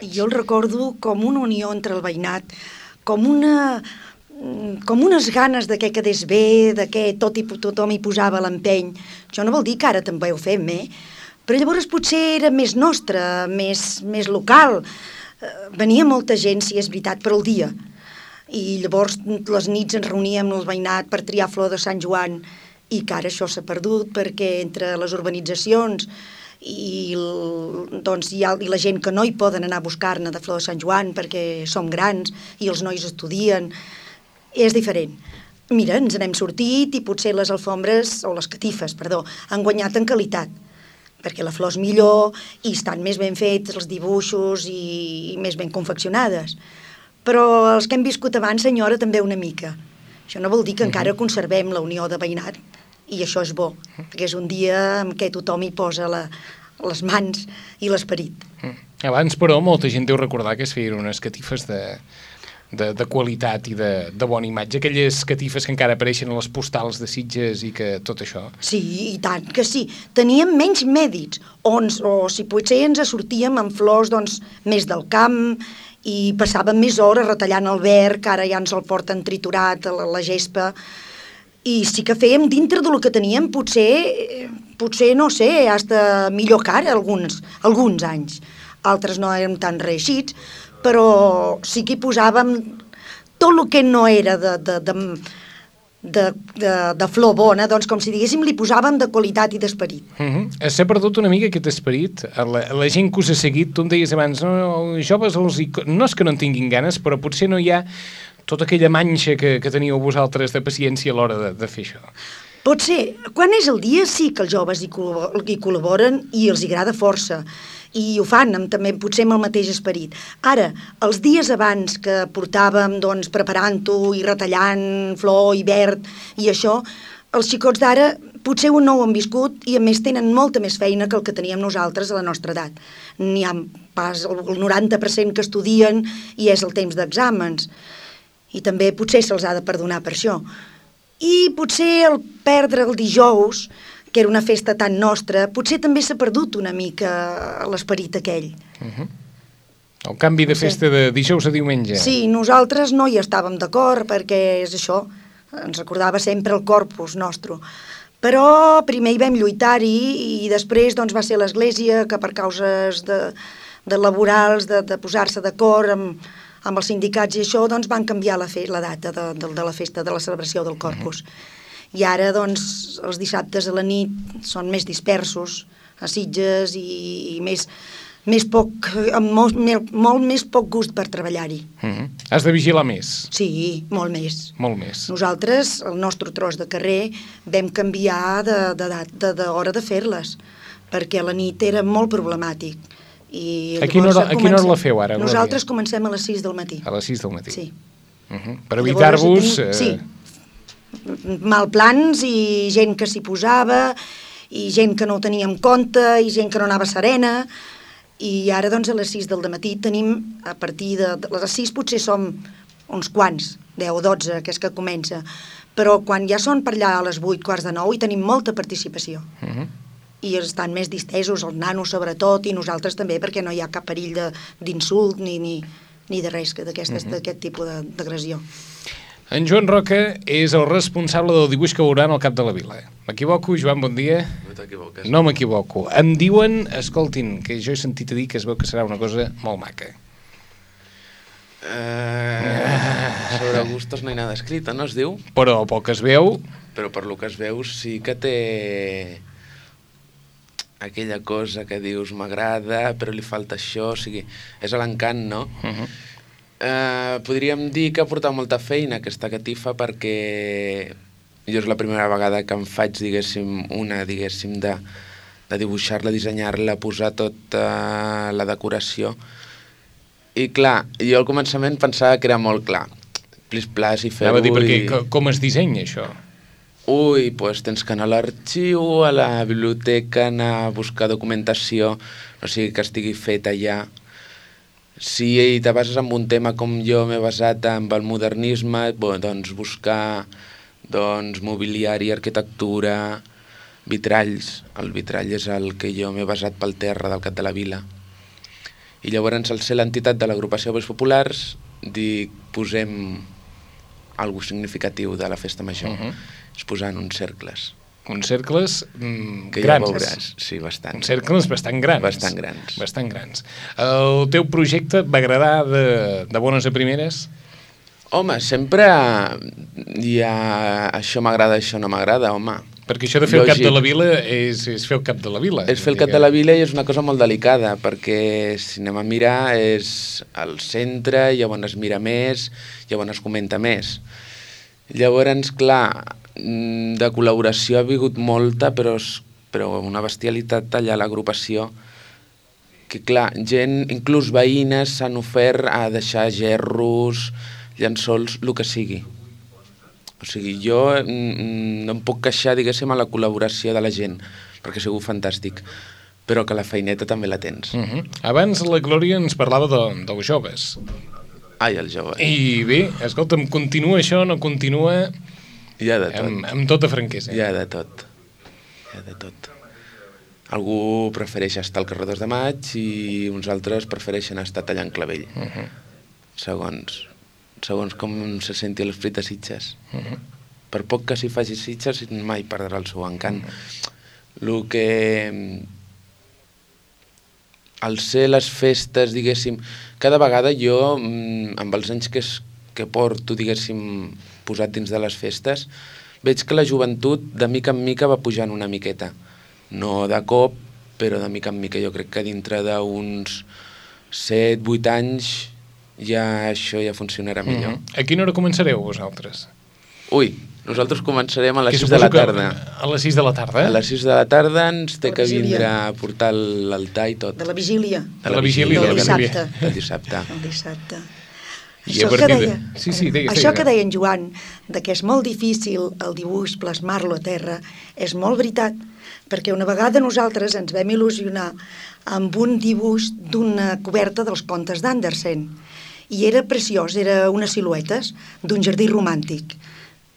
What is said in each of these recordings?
I jo el recordo com una unió entre el veïnat, com unes ganes de que quedés bé, de que tothom hi posava l'empeny. Això no vol dir que ara també ho fem, però llavors potser era més nostre, més local. Venia molta gent, si és veritat, per al dia. I llavors les nits ens reuníem el veïnat per triar flor de Sant Joan, i que ara això s'ha perdut perquè entre les urbanitzacions i la gent que no hi poden anar a buscar-ne de flor de Sant Joan perquè som grans i els nois estudien, és diferent. Mira, ens n'hem sortit i potser les alfombres, o les catifes, perdó, han guanyat en qualitat, perquè la flor és millor i estan més ben fets els dibuixos i més ben confeccionades. Però els que hem viscut abans, senyora, també una mica. Això no vol dir que encara conservem la unió de veïnat, i això és bo, perquè és un dia en què tothom hi posa les mans i l'esperit. Abans, però, molta gent deu recordar que es feien unes catifes de qualitat i de bona imatge, aquelles catifes que encara apareixen a les postals de Sitges i que tot això. Sí, i tant que sí. Teníem menys mèdits, o si potser ens sortíem amb flors més del camp i passàvem més hores retallant el verd, que ara ja ens el porten triturat a la gespa, i sí que fèiem dintre del que teníem, potser no sé, hasta millor que ara alguns anys. Altres no érem tan reeixits, però sí que hi posàvem tot el que no era de flor bona, doncs com si diguéssim li posàvem de qualitat i d'esperit. S'ha perdut una mica aquest esperit, la gent que us ha seguit, tu em deies abans, els joves no és que no en tinguin ganes, però potser no hi ha tota aquella manxa que teníeu vosaltres de paciència a l'hora de fer això. Pot ser, quan és el dia sí que els joves hi col·laboren i els agrada força, i ho fan també potser amb el mateix esperit. Ara, els dies abans que portàvem preparant-ho i retallant flor i verd i això, els xicots d'ara potser no ho han viscut i a més tenen molta més feina que el que teníem nosaltres a la nostra edat. N'hi ha pas el 90% que estudien i és el temps d'exàmens. I també potser se'ls ha de perdonar per això. I potser el perdre el dijous, que era una festa tan nostra, potser també s'ha perdut una mica l'esperit aquell. El canvi de festa de dijous a diumenge. Sí, nosaltres no hi estàvem d'acord perquè és això, ens recordava sempre el corpus nostre. Però primer hi vam lluitar-hi i després va ser l'Església que per causes de laborals, de posar-se d'acord amb els sindicats i això, van canviar la data de la festa, de la celebració del Corpus. I ara, els dissabtes a la nit són més dispersos a Sitges i amb molt més poc gust per treballar-hi. Has de vigilar més? Sí, molt més. Molt més. Nosaltres, el nostre tros de carrer, vam canviar d'hora de fer-les, perquè a la nit era molt problemàtic. A quina hora la feu ara, Glòria? Nosaltres comencem a les 6 del matí. A les 6 del matí? Sí. Per evitar-vos... Sí, malplans i gent que s'hi posava, i gent que no ho tenia en compte, i gent que no anava serena, i ara a les 6 del matí tenim, a partir de les 6 potser som uns quants, 10 o 12, que és que comença, però quan ja són per allà a les 8, quarts de 9, hi tenim molta participació. I estan més distesos, els nanos sobretot, i nosaltres també, perquè no hi ha cap perill d'insult ni de res d'aquest tipus d'agressió. En Joan Roca és el responsable del dibuix que veuran al cap de la vila. M'equivoco, Joan, bon dia? No t'equivoques. No m'equivoco. Em diuen, escoltin, que jo he sentit a dir que es veu que serà una cosa molt maca. Sobre gustos no hi ha nada escrito, no es diu? Però pel que es veu... Però per lo que es veu sí que té aquella cosa que dius m'agrada, però li falta això, o sigui, és l'encant, no? Podríem dir que ha portat molta feina aquesta catifa perquè jo és la primera vegada que em faig, diguéssim, de dibuixar-la, dissenyar-la, posar tota la decoració. I clar, jo al començament pensava que era molt clar. Plis-plas i fer-ho... Anava a dir, perquè com es dissenya això? Ui, doncs tens que anar a l'arxiu, a la biblioteca, anar a buscar documentació, no sigui que estigui fet allà. Si te bases en un tema com jo m'he basat en el modernisme, doncs buscar mobiliari, arquitectura, vitralls. El vitrall és el que jo m'he basat pel terra del cap de la vila. I llavors, al ser l'entitat de l'agrupació Bois Populars, posem alguna significatiu de la festa major. És posant uns cercles. Uns cercles que grans. Ja veuràs, sí, bastant. Uns cercles bastant grans. Bastant grans. Bastant grans. El teu projecte va agradar de bones a primeres? Home, sempre hi ha això m'agrada, això no m'agrada, home. Perquè això de fer el cap de la vila és fer el cap de la vila. És fer el cap de la vila i és una cosa molt delicada, perquè si anem a mirar és al centre, llavors es mira més, llavors es comenta més. Llavors, clar, de col·laboració ha vingut molta, però una bestialitat allà a l'agrupació, que clar, gent, inclús veïnes, s'han ofert a deixar gerros, llençols, el que sigui. O sigui, jo no em puc queixar, diguéssim, a la col·laboració de la gent, perquè ha sigut fantàstic, però que la feineta també la tens. Abans la Glòria ens parlava dels joves. Ai, el jove. I bé, escolta'm, continua això, no continua... Hi ha de tot. Amb tota franquesa. Hi ha de tot. Hi ha de tot. Algú prefereix estar al carrer 2 de Maig i uns altres prefereixen estar tallant clavell. Segons com se senti l'esperit de Sitges. Per poc que s'hi faci Sitges, mai perdrà el seu encant. El que... Al ser les festes, diguéssim... Cada vegada jo, amb els anys que porto, diguéssim, posat dins de les festes, veig que la joventut de mica en mica va pujant una miqueta. No de cop, però de mica en mica. Jo crec que dintre d'uns 7-8 anys això ja funcionarà millor. A quina hora començareu vosaltres? Ui, nosaltres començarem a les 6 de la tarda. A les 6 de la tarda? A les 6 de la tarda ens té que vindre a portar l'altar i tot. De la vigília. De la vigília. Del dissabte. Del dissabte. El dissabte. Això que deia en Joan, que és molt difícil el dibuix plasmar-lo a terra, és molt veritat, perquè una vegada nosaltres ens vam il·lusionar amb un dibuix d'una coberta dels contes d'Andersen, i era preciós, era unes siluetes d'un jardí romàntic.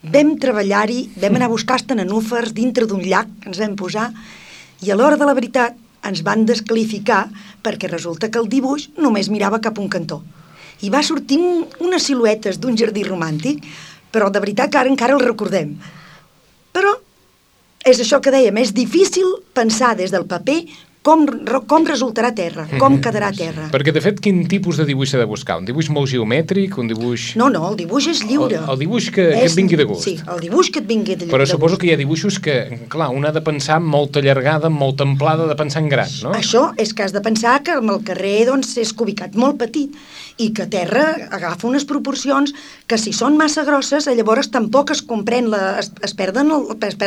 Vam treballar-hi, vam anar a buscar nenúfars dintre d'un llac, ens vam posar, i a l'hora de la veritat ens van descalificar perquè resulta que el dibuix només mirava cap a un cantó. I va sortir unes siluetes d'un jardí romàntic, però de veritat que ara encara el recordem. Però és això que dèiem, és difícil pensar des del paper com resultarà a terra, com quedarà a terra. Perquè, de fet, quin tipus de dibuix s'ha de buscar? Un dibuix molt geomètric, un dibuix... No, el dibuix és lliure. El dibuix que et vingui de gust. Sí, el dibuix que et vingui de gust. Però suposo que hi ha dibuixos que, clar, un ha de pensar molta allargada, molt amplada, de pensar en gran, no? Això és que has de pensar que el carrer doncs, és ubicat molt petit i que a terra agafa unes proporcions que si són massa grosses llavors tampoc es comprèn, es perd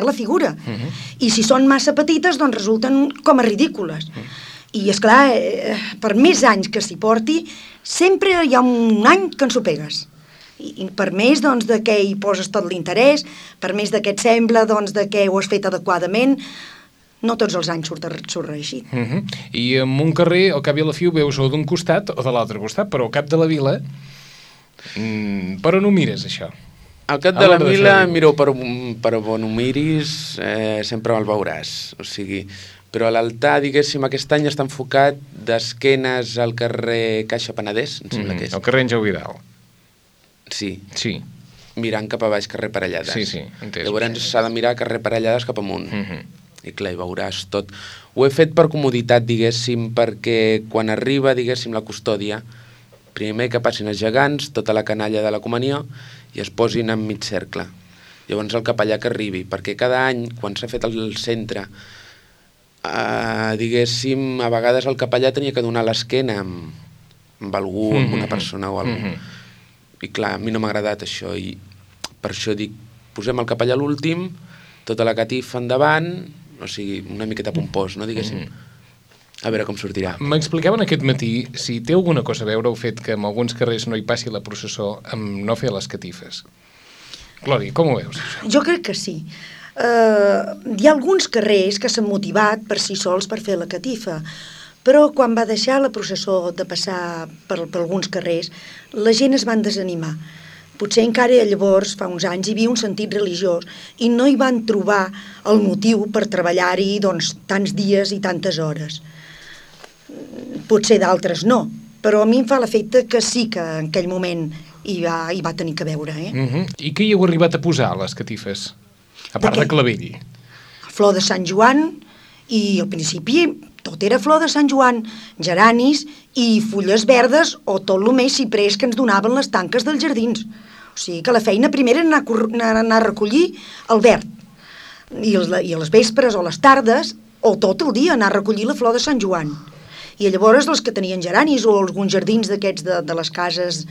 la figura. I si són massa petites doncs resulten com a ridícules. I esclar, per més anys que s'hi porti, sempre hi ha un any que ens ho pegues. I per més doncs, de que hi poses tot l'interès, per més de que et sembla doncs, de que ho has fet adequadament, no tots els anys surt reeixit. I en un carrer, al cap i a la fi, ho veus o d'un costat o de l'altre costat, però al cap de la vila, per on ho mires, això? Al cap de la vila, miro per on ho miris, sempre me'l veuràs. O sigui, però a l'altar, diguéssim, aquest any està enfocat d'esquenes al carrer Caixa Penedès, em sembla que és. El carrer Àngel Vidal. Sí. Mirant cap a baix, carrer Parellades. Sí, entès. Llavors s'ha de mirar carrer Parellades cap amunt. I clar, hi veuràs tot. Ho he fet per comoditat, diguéssim, perquè quan arriba, diguéssim, la custòdia, primer que passin els gegants, tota la canalla de la comunió, i es posin en mig cercle. Llavors el capellà que arribi, perquè cada any, quan s'ha fet el centre, diguéssim, a vegades el capellà tenia que donar l'esquena amb algú, amb una persona o algú. I clar, a mi no m'ha agradat això, i per això dic, posem el capellà a l'últim, tota la catifa endavant, o sigui, una miqueta pompós, no, diguéssim. A veure com sortirà. M'explicaven aquest matí si té alguna cosa a veure el fet que en alguns carrers no hi passi la processó amb no fer les catifes. Glòria, com ho veus, això? Jo crec que sí. Hi ha alguns carrers que s'han motivat per si sols per fer la catifa, però quan va deixar la processó de passar per alguns carrers, la gent es van desanimar. Potser encara llavors, fa uns anys, hi havia un sentit religiós i no hi van trobar el motiu per treballar-hi doncs, tants dies i tantes hores. Potser d'altres no, però a mi em fa l'efecte que sí que en aquell moment hi va tenir que veure. I què hi heu arribat a posar, a les catifes? A part de clavell. Flor de Sant Joan, i al principi tot era flor de Sant Joan, geranis i fulles verdes o tot el més ciprés que ens donaven les tanques dels jardins. O sigui que la feina primera era anar a recollir el verd. I a les vespres o les tardes, o tot el dia, anar a recollir la flor de Sant Joan. I llavors els que tenien geranis o alguns jardins d'aquests de les cases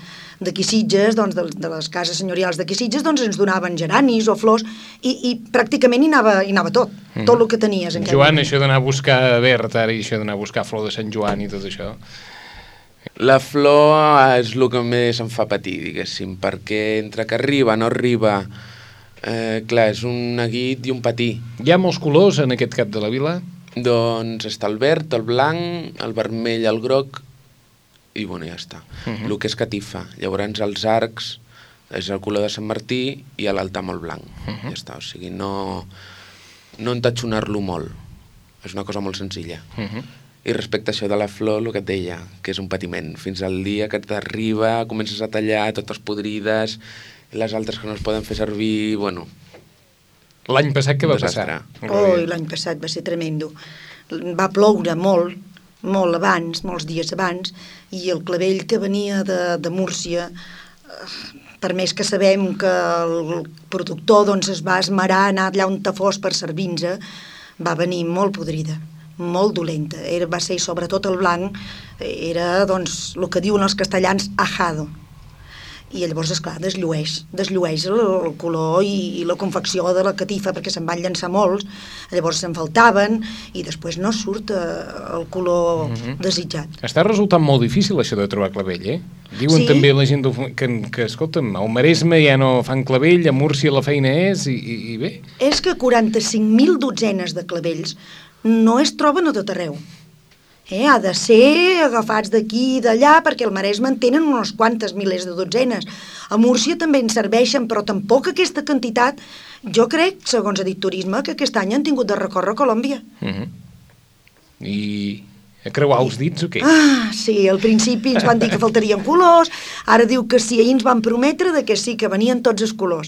d'aquí Sitges, doncs de les cases senyorials d'aquí Sitges, doncs ens donaven geranis o flors i pràcticament hi anava tot el que tenies. Joan, això d'anar a buscar verd ara i això d'anar a buscar flor de Sant Joan i tot això... La flor és el que més em fa patir, diguéssim, perquè entre que arriba, no arriba... clar, és un neguit i un patir. Hi ha molts colors en aquest cap de la vila? Doncs està el verd, el blanc, el vermell, el groc i bueno, ja està. El que és catifa. Llavors els arcs és el color de Sant Martí i l'altar molt blanc. Ja està, o sigui, no entatxonar-lo molt. És una cosa molt senzilla. I respecte a això de la flor, el que et deia, que és un patiment. Fins al dia que t'arriba, comences a tallar totes podrides, les altres que no es poden fer servir, bueno... L'any passat què va passar? L'any passat va ser tremendo. Va ploure molt, molt abans, molts dies abans, i el clavell que venia de Múrcia, per més que sabem que el productor doncs, es va esmerar a anar allà on fos per servir-nos, va venir molt podrida, molt dolenta. Va ser sobretot el blanc, era doncs, el que diuen els castellans ajado. I llavors, esclar, desllueix el color i la confecció de la catifa, perquè se'n van llançar molts, llavors se'n faltaven i després no surt el color desitjat. Està resultant molt difícil això de trobar clavell, Diuen també la gent que escolta'm, al Maresme ja no fan clavell, a Múrcia la feina és, i bé. És que 45.000 dotzenes de clavells no es troben a tot arreu. Ha de ser agafats d'aquí i d'allà, perquè al Maresme en tenen unes quantes milers de dotzenes. A Múrcia també en serveixen, però tampoc aquesta quantitat. Jo crec, segons ha dit Turisme, que aquest any han tingut de recórrer a Colòmbia. I a creuar els dits o què? Sí, al principi ens van dir que faltarien colors, ara diu que sí, ahir ens van prometre que sí, que venien tots els colors.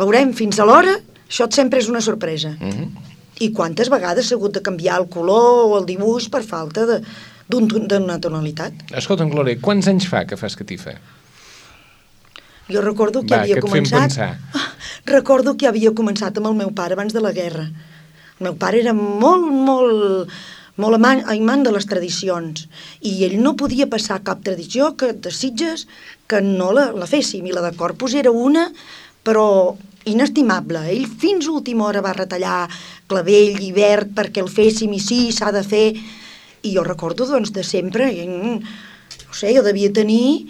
Veurem, fins a l'hora, això sempre és una sorpresa. I quantes vegades s'ha hagut de canviar el color o el dibuix per falta d'una tonalitat. Escolta'm, Glòria, quants anys fa que fas catifa? Jo recordo que havia començat... Recordo que havia començat amb el meu pare abans de la guerra. El meu pare era molt amant de les tradicions i ell no podia passar cap tradició de Sitges que no la féssim, i la de Corpus era una, però inestimable. Ell fins a última hora va retallar clavell i verd perquè el féssim i sí, s'ha de fer. I jo recordo, doncs, de sempre, no sé, jo devia tenir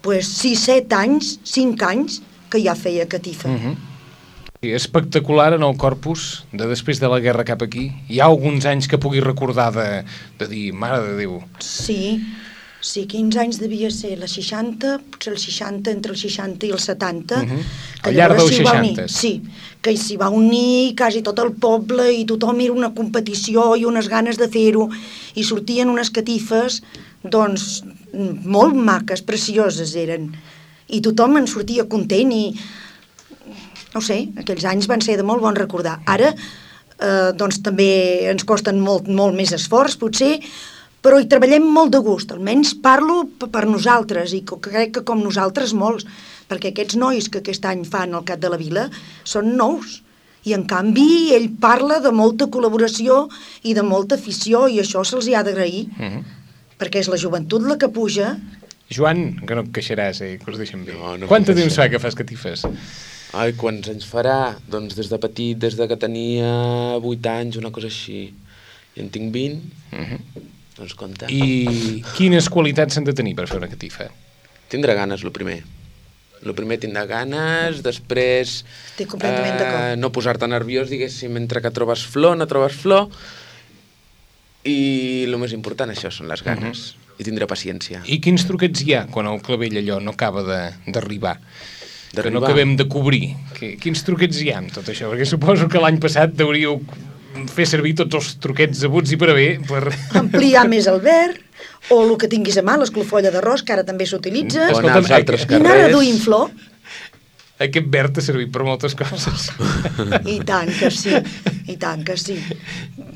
6-7 anys, 5 anys, que ja feia catifa. Espectacular en el Corpus, de després de la guerra cap aquí. Hi ha alguns anys que pugui recordar de dir, mare de Déu. Sí, quins anys devia ser? La 60, potser el 60, entre el 60 i el 70. Al llarg dels 60. Sí, que s'hi va unir quasi tot el poble i tothom era una competició i unes ganes de fer-ho. I sortien unes catifes, doncs, molt maques, precioses eren. I tothom en sortia content i, no sé, aquells anys van ser de molt bon recordar. Ara, doncs, també ens costen molt més esforç, potser, però hi treballem molt de gust, almenys parlo per nosaltres, i crec que com nosaltres molts, perquè aquests nois que aquest any fan el Cap de la Vila són nous, i en canvi ell parla de molta col·laboració i de molta afició, i això se'ls ha d'agrair, perquè és la joventut la que puja. Joan, que no et queixaràs, que us deixem bé. Quant temps fa que fas catifes? Ai, quants anys farà? Doncs des de petit, des de que tenia 8 anys, una cosa així. I en tinc 20... Doncs compte. I quines qualitats s'han de tenir per fer una catifa? Tindre ganes, el primer. El primer, tindre ganes, després... Estic completament d'acord. No posar-te nerviós, diguéssim, entre que trobes flor, no trobes flor, i el més important, això, són les ganes, i tindre paciència. I quins truquets hi ha quan el clavell allò no acaba d'arribar? Que no acabem de cobrir. Quins truquets hi ha amb tot això? Perquè suposo que l'any passat hauríeu fer servir tots els truquets abuts i per haver per... ampliar més el verd, o el que tinguis a mà, l'esclofolla d'arròs, que ara també s'utilitza, O anar als altres i anar carrers. reduint flor. Aquest verd ha servit per moltes coses. I tant que sí, i tant que sí.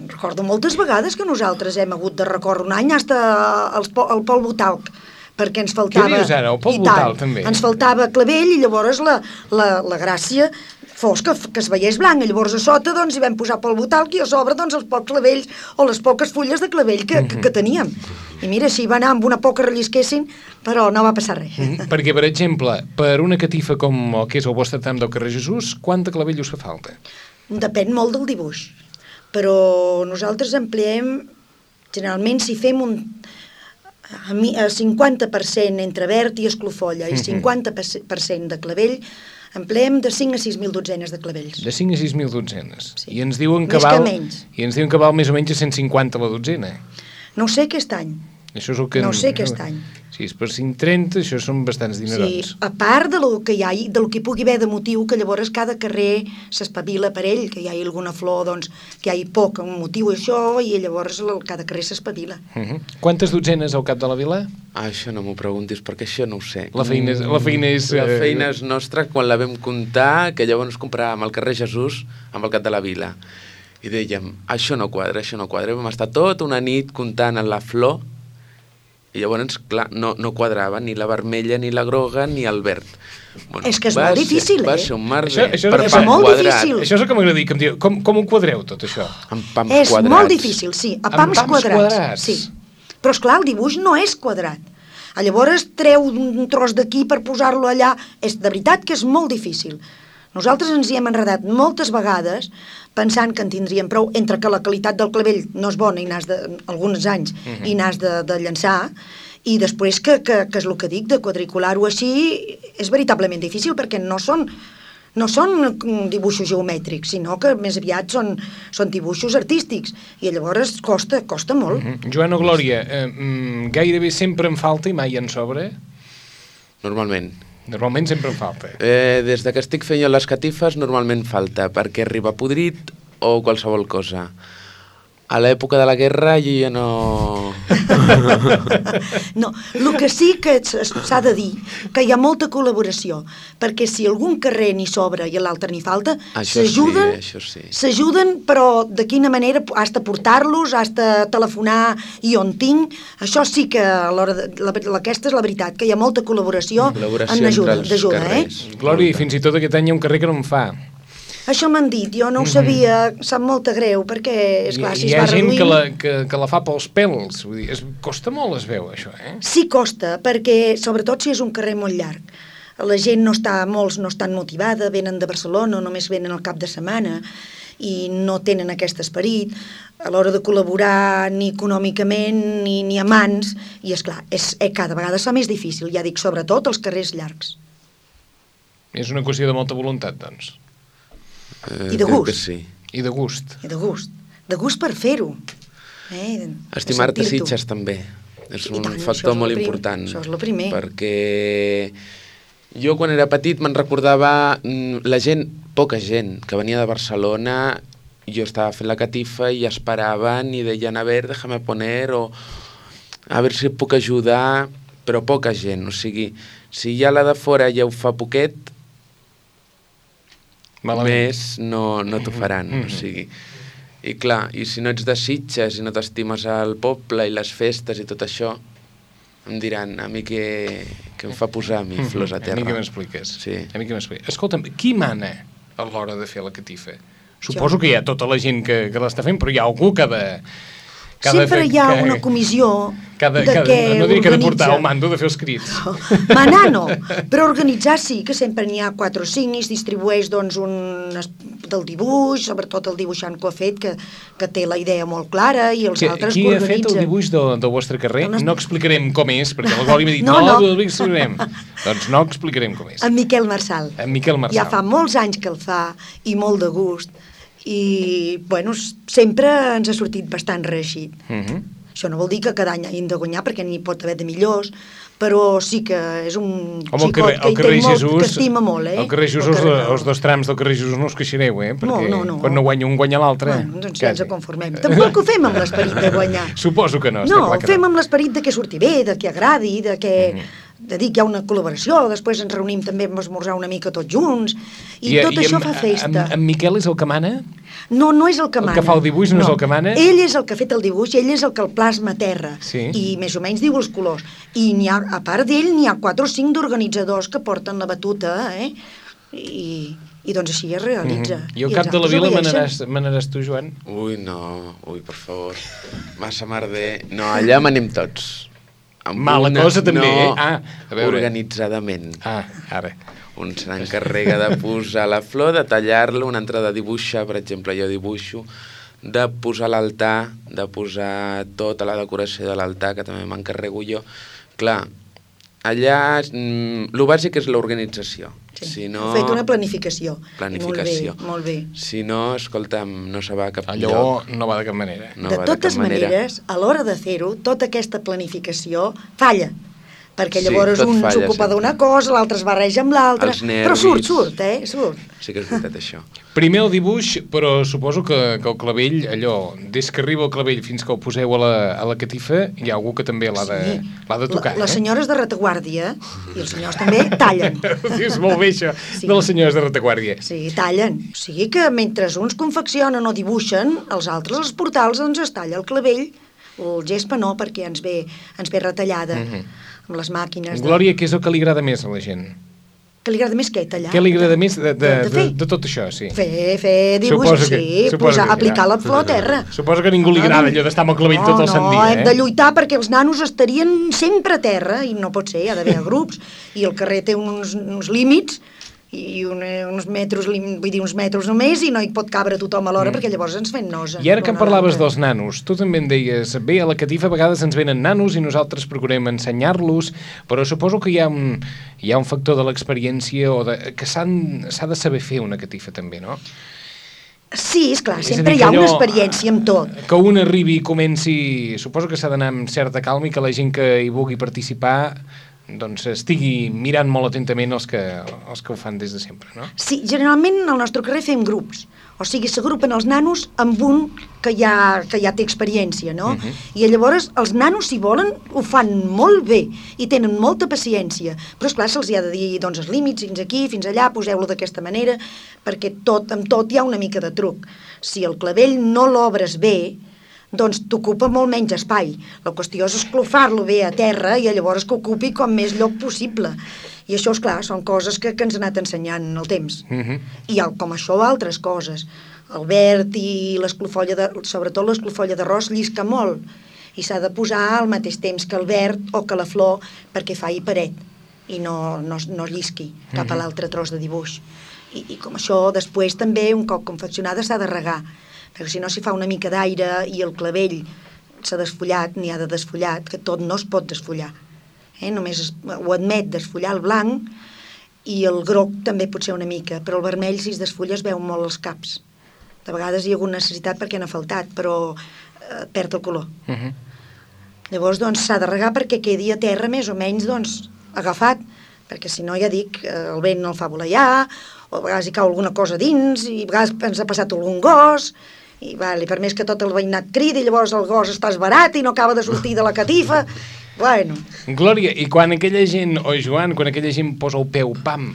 Recordo moltes vegades que nosaltres hem hagut de recórrer un any fins al polvo talc, perquè ens faltava... Què dius ara? El polvo I tant, talc, també? Ens faltava clavell i llavors la gràcia fos que es veiés blanc, i llavors a sota doncs hi vam posar polvo talc i a sobre doncs els pocs clavells o les poques fulles de clavell que teníem. I mira, si va anar amb una poca rellisquessin, però no va passar res. Perquè, per exemple, per una catifa com el que és el vostre tram del carrer Jesús, quanta clavell us fa falta? Depèn molt del dibuix, però nosaltres empleem, generalment si fem un 50% entre verd i esclofolla i 50% de clavell, empleem de 5 a 6.000 dotzenes de clavells. De 5 a 6.000 dotzenes. Sí. I ens diuen que Més que val... menys. I ens diuen que val més o menys a 150 la dotzena. No ho sé aquest any. Això és el que... No ho sé aquest any. Si és per 5,30, això són bastants dinerons. Sí, a part de lo que hi ha, del que pugui haver de motiu, que llavors cada carrer s'espavila per ell, que hi hagi alguna flor, doncs, que hi hagi poc, un motiu això, i llavors cada carrer s'espavila. Quantes dotzenes al cap de la vila? Això no m'ho preguntis, perquè això no ho sé. La feina és... La feina és nostra quan la vam comptar, que llavors compràvem al carrer Jesús amb el cap de la vila. I dèiem, això no quadra, això no quadra. Vam estar tota una nit comptant en la flor, i llavors, clar, no quadrava ni la vermella, ni la groga, ni el verd. Bueno, és que és molt difícil, Va ser un merder Això per és pam molt quadrat. difícil. Això és el que m'agradaria que em diu. Com ho quadreu, tot això? Amb pams És quadrats. molt difícil, sí, a Amb pams pams quadrats. quadrats. Sí. Però, esclar, el dibuix no és quadrat. Llavors treu un tros d'aquí per posar-lo allà. És de veritat que és molt difícil. Nosaltres ens hi hem enredat moltes vegades pensant que en tindríem prou, entre que la qualitat del clavell no és bona i alguns anys i n'has de llançar, i després que és el que dic, de quadricular-ho així és veritablement difícil, perquè no són dibuixos geomètrics, sinó que més aviat són dibuixos artístics, i llavors costa molt. Joan o Glòria, gairebé sempre en falta i mai en sobra? Normalment. Normalment sempre en falta. Des de que estic fent jo les catifes, normalment falta, perquè arriba podrit o qualsevol cosa. A l'època de la guerra jo ja no... No, el que sí que s'ha de dir, que hi ha molta col·laboració, perquè si algun carrer n'hi sobra i a l'altre n'hi falta, s'ajuden, però de quina manera has de portar-los, has de telefonar i on tinc, això sí que aquesta és la veritat, que hi ha molta col·laboració en ajuda, Glòria, fins i tot aquest any hi ha un carrer que no en fa. Això m'han dit, jo no ho sabia, sap molta greu, perquè, esclar, si es va reduint... Hi ha gent que la fa pels pèls, vull dir, costa molt, es veu, això, eh? Sí, costa, perquè, sobretot si és un carrer molt llarg. La gent molts no estan motivada, venen de Barcelona, només venen al cap de setmana, i no tenen aquest esperit a l'hora de col·laborar ni econòmicament ni a mans, i, esclar, cada vegada es fa més difícil, ja dic, sobretot els carrers llargs. És una qüestió de molta voluntat, doncs. I de gust. Sí. I de gust. I de gust. De gust per fer-ho. Estimar-te Sitges també. És un factor molt important. Això és el primer. Perquè jo quan era petit me'n recordava la gent, poca gent, que venia de Barcelona, jo estava fent la catifa i esperaven i deien, a ver, déjame poner, o a ver si puc ajudar, però poca gent. O sigui, si ja la de fora ja ho fa poquet, més no t'ho faran, o sigui, i clar, i si no ets de Sitges i no t'estimes el poble i les festes i tot això, em diran, a mi que em fa posar a mi flors a terra. A mi que m'expliques. Sí. Escolta'm, qui mana a l'hora de fer la catifa? Suposo que hi ha tota la gent que l'està fent, però hi ha algú que ha de... Sempre hi ha una comissió que no diria que ha de portar el mando de fer els crits. Manar no, però organitzar sí, que sempre n'hi ha 4 o 5 i es distribueix doncs del dibuix, sobretot el dibuixant que ho ha fet, que té la idea molt clara, i els altres que organitzen. Qui ha fet el dibuix del vostre carrer? No explicarem com és, perquè el Glòria m'ha dit, no explicarem. Doncs no explicarem com és. En Miquel Marçal. Ja fa molts anys que el fa, i molt de gust. I, bueno, sempre ens ha sortit bastant reeixit. Això no vol dir que cada any hagin de guanyar, perquè n'hi pot haver de millors, però sí que és un xicot que estima molt, Al carrer Jesús, els dos trams del carrer Jesús no us queixareu, perquè quan no guanya un guanya l'altre. Doncs ja ens conformem. Tampoc ho fem amb l'esperit de guanyar. Suposo que no. No, ho fem amb l'esperit de que surti bé, de que agradi, de dir que hi ha una col·laboració, després ens reunim també a esmorzar una mica tots junts, i tot això fa festa. En Miquel és el que mana? No és el que mana. El que fa el dibuix no és el que mana? Ell és el que ha fet el dibuix, ell és el que el plasma a terra, i més o menys diu els colors. I a part d'ell n'hi ha 4 o 5 d'organitzadors que porten la batuta, i doncs així es realitza. I al cap de la vila manaràs tu, Joan? Ui, no, per favor. Massa merder. No, allà manem tots. Mala cosa també, organitzadament. Ara. Un se n'encarrega de posar la flor, de tallar-la, un altre de dibuixar, per exemple, jo dibuixo, de posar l'altar, de posar tota la decoració de l'altar, que també m'encarrego jo. Clar, allà el bàsic és l'organització. Sí, ha fet una planificació. Molt bé. Si no, escolta'm, no se va a cap lloc. Allò no va de cap manera. De totes maneres, a l'hora de fer-ho, tota aquesta planificació falla. Perquè llavors un s'ocupa d'una cosa, l'altre es barreja amb l'altre, però surt. Sí que és veritat, això. Primer el dibuix, però suposo que el clavell, allò, des que arriba el clavell fins que el poseu a la catifa, hi ha algú que també l'ha de tocar. Les senyores de retaguardia i els senyors també tallen. És molt bé això, de les senyores de retaguardia. Sí, tallen. O sigui que mentre uns confeccionen o dibuixen, els altres, els portals, doncs es talla el clavell, el gespa no, perquè ens ve retallada. Amb les màquines. Glòria, què és el que li agrada més a la gent? Que li agrada més què? Tallar? Què li agrada més de tot això, sí? Fer dibuix, aplicar la flor a terra. Suposo que a ningú li agrada allò d'estar amb el clavell tot el sant dia, hem de lluitar perquè els nanos estarien sempre a terra, i no pot ser, hi ha d'haver grups, i el carrer té uns límits, i uns metres només, i no hi pot cabre tothom alhora, perquè llavors ens fem nosa. I ara que em parlaves dels nanos, tu també em deies, bé, a la catifa a vegades ens venen nanos i nosaltres procurem ensenyar-los, però suposo que hi ha un factor de l'experiència o que s'ha de saber fer una catifa també, no? Sí, esclar, sempre hi ha una experiència amb tot. Que un arribi i comenci, suposo que s'ha d'anar amb certa calma i que la gent que hi vulgui participar doncs estigui mirant molt atentament els que ho fan des de sempre, no? Sí, generalment al nostre carrer fem grups, o sigui, s'agrupen els nanos amb un que ja té experiència, no? I llavors els nanos, si volen, ho fan molt bé i tenen molta paciència, però esclar, se'ls ha de dir, doncs, els límits, fins aquí, fins allà, poseu-lo d'aquesta manera, perquè amb tot hi ha una mica de truc. Si el clavell no l'obres bé, doncs t'ocupa molt menys espai. La qüestió és esclofar-lo bé a terra i llavors que ocupi com més lloc possible. I això, esclar, són coses que ens ha anat ensenyant el temps. I com això, altres coses. El verd i l'esclofolla, sobretot l'esclofolla d'arròs, llisca molt. I s'ha de posar al mateix temps que el verd o que la flor perquè faci paret i no llisqui cap a l'altre tros de dibuix. I com això, després també, un cop confeccionada, s'ha de regar, perquè si no s'hi fa una mica d'aire i el clavell s'ha desfullat, n'hi ha de desfullat, que tot no es pot desfullar. Només ho admet desfullar el blanc, i el groc també pot ser una mica, però el vermell, si es desfulla, es veu molt els caps. De vegades hi ha hagut necessitat perquè n'ha faltat, però perd el color. Llavors, doncs, s'ha de regar perquè quedi a terra més o menys, doncs, agafat, perquè si no, ja dic, el vent no el fa voleiar, o a vegades hi cau alguna cosa dins, i a vegades ens ha passat algun gos, i per més que tot el veïnat cridi, llavors el gos està esbarat i no acaba de sortir de la catifa. Bueno. Glòria, i quan aquella gent, o Joan, quan aquella gent posa el peu, pam,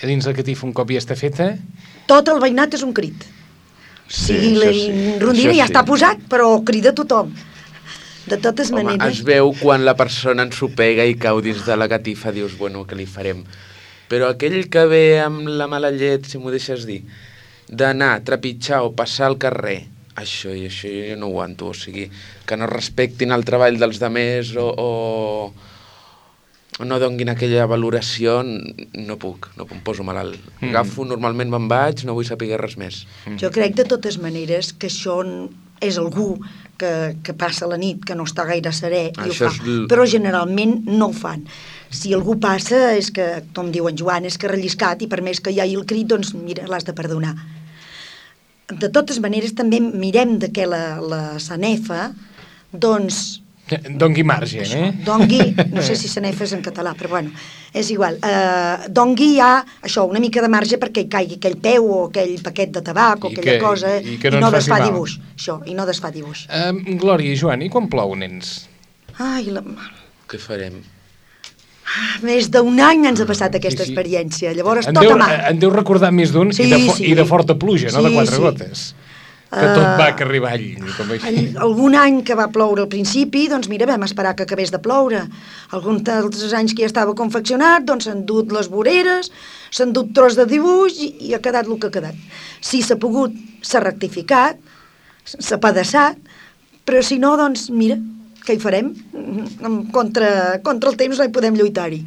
a dins la catifa un cop ja està feta... Tot el veïnat és un crit. Sí, la rondina ja està posat, però crida tothom. De totes maneres... Es veu quan la persona ensopega i cau dins de la catifa, dius, bueno, què li farem? Però aquell que ve amb la mala llet, si m'ho deixes dir, d'anar, trepitjar o passar al carrer, això jo no ho aguanto, o sigui, que no respectin el treball dels demés o no donguin aquella valoració, no puc, em poso malalt. Agafo, normalment me'n vaig, no vull saber res més. Jo crec de totes maneres que això és algú que passa la nit, que no està gaire serè i ho fa, però generalment no ho fan. Si algú passa, és que, com diu en Joan, és que ha relliscat i per més que hi hagi el crit, doncs mira, l'has de perdonar. De totes maneres, també mirem de que la sanefa, doncs, Dongui marge, Dongui, no sé si se n'hi fes en català, però bueno, és igual. Dongui hi ha, això, una mica de marge perquè hi caigui aquell peu o aquell paquet de tabac o aquella cosa, i no desfà dibuix. Això, i no desfà dibuix. Glòria i Joan, i quan plou, nens? Ai, Què farem? Més d'un any ens ha passat aquesta experiència, llavors tot a mà. En deu recordar més d'un i de forta pluja, no de 4 gotes. Que tot va carrer avall, com així. Algun any que va ploure al principi, doncs mira, vam esperar que acabés de ploure. Alguns altres anys que ja estava confeccionat, doncs s'han dut les voreres, s'han dut tros de dibuix i ha quedat el que ha quedat. Si s'ha pogut, s'ha rectificat, s'ha pedaçat, però si no, doncs mira, què hi farem? Contra el temps no hi podem lluitar-hi.